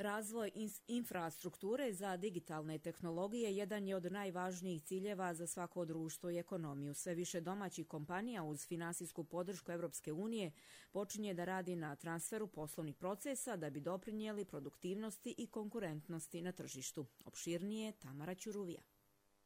Razvoj infrastrukture za digitalne tehnologije jedan je od najvažnijih ciljeva za svako društvo i ekonomiju. Sve više domaćih kompanija uz finansijsku podršku Europske unije počinje da radi na transferu poslovnih procesa da bi doprinijeli produktivnosti i konkurentnosti na tržištu. Opširnije Tamara Ćuruvija.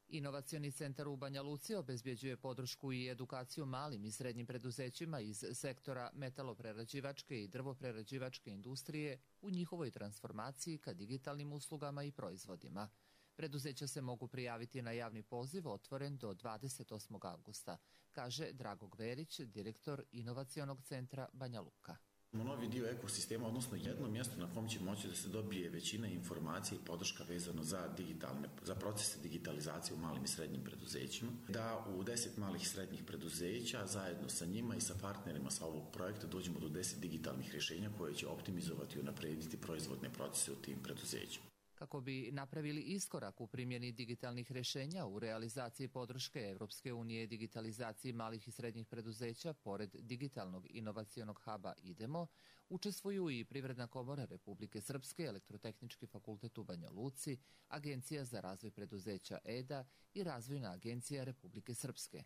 Inovacioni centar u Banja Luci obezbjeđuje podršku i edukaciju malim i srednjim preduzećima iz sektora metaloprerađivačke i drvoprerađivačke industrije u njihovoj transformaciji ka digitalnim uslugama i proizvodima. Preduzeća se mogu prijaviti na javni poziv otvoren do 28. avgusta, kaže Drago Gverić, direktor Inovacionog centra Banja Luka. Novi dio ekosistema, odnosno jedno mjesto na kom će moći da se dobije većina informacija i podrška vezano za procese digitalizacije u malim i srednjim preduzećima, da u 10 malih i srednjih preduzeća zajedno sa njima i sa partnerima sa ovog projekta dođemo do 10 digitalnih rješenja koje će optimizovati i unaprediti proizvodne procese u tim preduzećima. Kako bi napravili iskorak u primjeni digitalnih rješenja u realizaciji podrške Evropske unije digitalizaciji malih i srednjih preduzeća, pored digitalnog inovacionog huba IDEMO, učestvuju i Privredna komora Republike Srpske, Elektrotehnički fakultet u Banja Luci, Agencija za razvoj preduzeća EDA i Razvojna agencija Republike Srpske.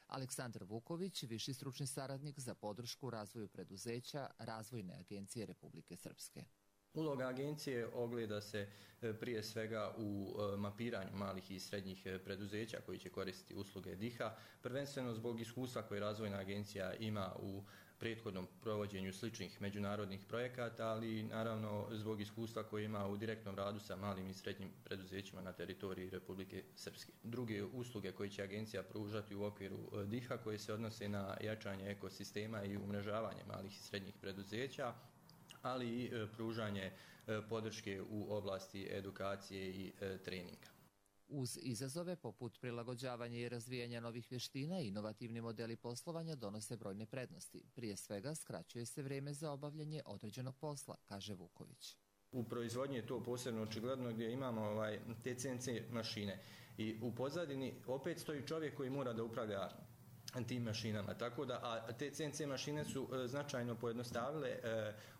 Aleksandar Vuković, viši stručni saradnik za podršku razvoju preduzeća Razvojne agencije Republike Srpske. Uloga agencije ogleda se prije svega u mapiranju malih i srednjih preduzeća koji će koristiti usluge DIH-a, prvenstveno zbog iskustva koje Razvojna agencija ima u prethodnom provođenju sličnih međunarodnih projekata, ali i naravno zbog iskustva koje ima u direktnom radu sa malim i srednjim preduzećima na teritoriji Republike Srpske. Druge usluge koje će agencija pružati u okviru DIH-a koje se odnose na jačanje ekosistema i umrežavanje malih i srednjih preduzeća, ali i pružanje podrške u oblasti edukacije i treninga. Uz izazove poput prilagođavanja i razvijanja novih vještina, inovativni modeli poslovanja donose brojne prednosti. Prije svega, skraćuje se vrijeme za obavljanje određenog posla, kaže Vuković. U proizvodnji je to posebno očigledno gdje imamo te CNC mašine i u pozadini opet stoji čovjek koji mora da upravlja tim mašinama, tako da, a te CNC mašine su značajno pojednostavile,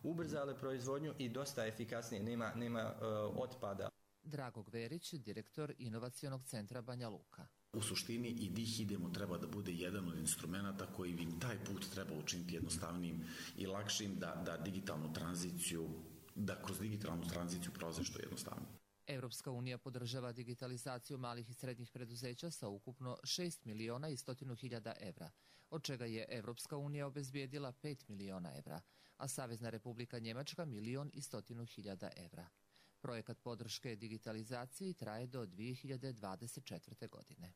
ubrzale proizvodnju i dosta efikasnije, nema otpada. Drago Gverić, direktor Inovacionog centra Banja Luka. U suštini i DIH IDEMO treba da bude jedan od instrumenta koji bi taj put treba učiniti jednostavnijim i lakšim da digitalnu tranziciju, da kroz digitalnu tranziciju prolaze što jednostavnije. Evropska unija podržava digitalizaciju malih i srednjih preduzeća sa ukupno 6 miliona i 100.000 evra, od čega je Evropska unija obezbijedila 5 miliona evra, a Savezna Republika Njemačka 1.100.000 evra. Projekat podrške digitalizaciji traje do 2024. godine.